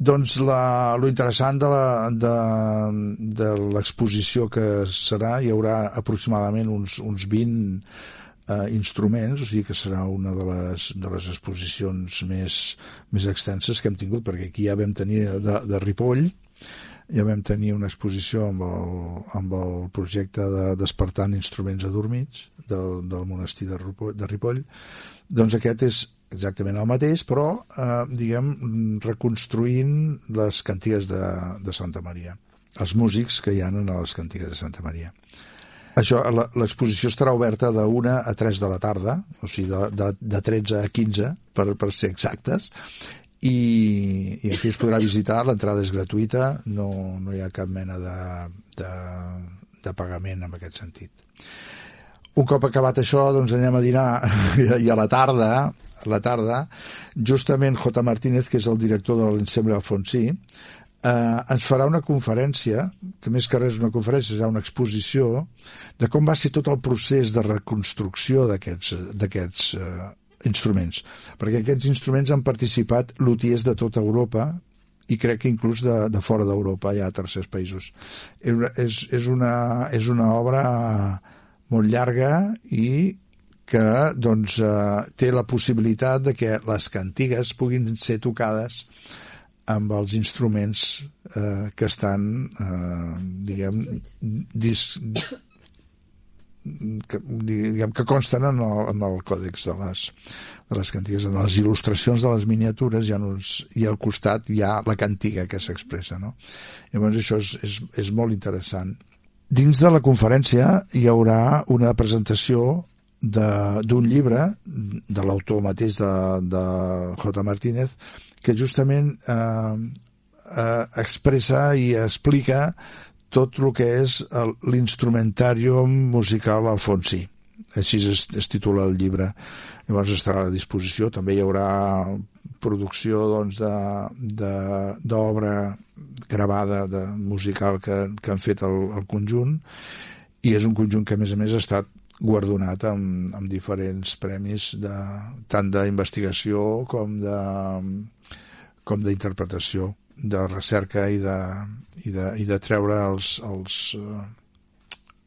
Doncs lo interessant de l'exposició que serà, hi haurà aproximadament uns 20 instruments, o sigui que serà una de les exposicions més extenses que hem tingut, perquè aquí ja vam tenir de Ripoll, ja vam tenir una exposició amb el projecte de Despertant Instruments Adormits del monestir de Ripoll. Doncs aquest és exactament el mateix, però reconstruint les cantigues de Santa Maria, els músics que hi ha en les cantigues de Santa Maria. L'exposició estarà oberta de 1 a 3 de la tarda, o sigui de 13 a 15 per ser exactes, i en fi es podrà visitar, l'entrada és gratuïta, no hi ha cap mena de pagament en aquest sentit. Un cop acabat això, doncs anem a dinar, i a la tarda, justament J. Martínez, que és el director de l'Ensemble Alfonsí, ens farà una conferència, que més que res una conferència, serà una exposició de com va ser tot el procés de reconstrucció d'aquests instruments, perquè aquests instruments han participat lutiers de tota Europa i crec que inclús de fora d'Europa, hi ha tercers països. És una obra molt llarga i que doncs, té la possibilitat de que les cantigues puguin ser tocades amb els instruments que estan que consten en el còdex de les cantigues, en les il·lustracions de les miniatures i al costat hi ha la cantiga que s'expressa, no? Llavors això és molt interessant. Dins de la conferència hi haurà una presentació d'un llibre de l'autor mateix de J. Martínez, que justament expressa i explica tot el que és l'instrumentarium musical alfonsí. Així es titula el llibre. Llavors estarà a la disposició. També hi haurà producció d'obra gravada musical que han fet el conjunt, i és un conjunt que a més ha estat guardonat amb diferents premis tant d'investigació com d'interpretació, de recerca i de treure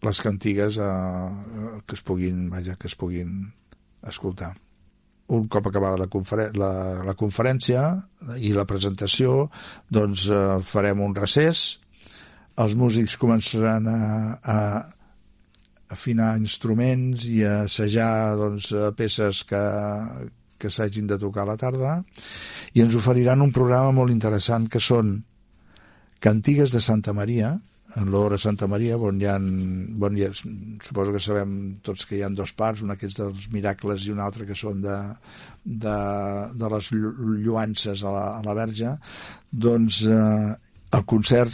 les cantigues que es puguin escoltar. Un cop acabada la conferència i la presentació, doncs farem un recés, els músics començaran a afinar instruments i a assajar peces que s'hagin de tocar a la tarda, i ens oferiran un programa molt interessant que són cantigues de Santa Maria, en l'hora Santa Maria, on hi ha, suposo que sabem tots que hi ha 2 parts, una que és dels miracles i una altra que són de les lluances a la Verge. Doncs el concert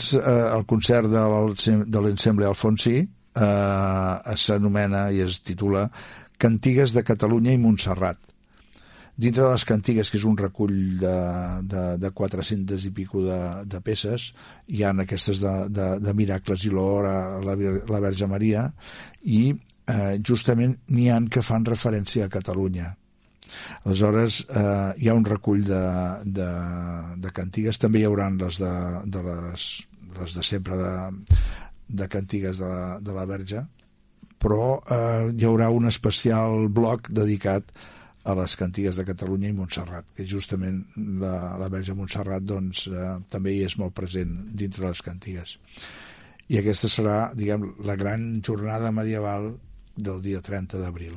de l'Ensemble Alfonsí s'anomena i es titula Cantigues de Catalunya i Montserrat. Dintre de les cantigues, que és un recull de 400 i pico de peces, hi ha aquestes de miracles i l'hora a la Verge Maria, i justament n'hi ha que fan referència a Catalunya. Aleshores hi ha un recull de cantigues. També hi haurà les de sempre de cantigues de la Verge, però hi haurà un especial bloc dedicat a les cantigues de Catalunya i Montserrat, que justament la Verge Montserrat també hi és molt present dintre les cantigues. I aquesta serà, la gran jornada medieval del dia 30 d'abril.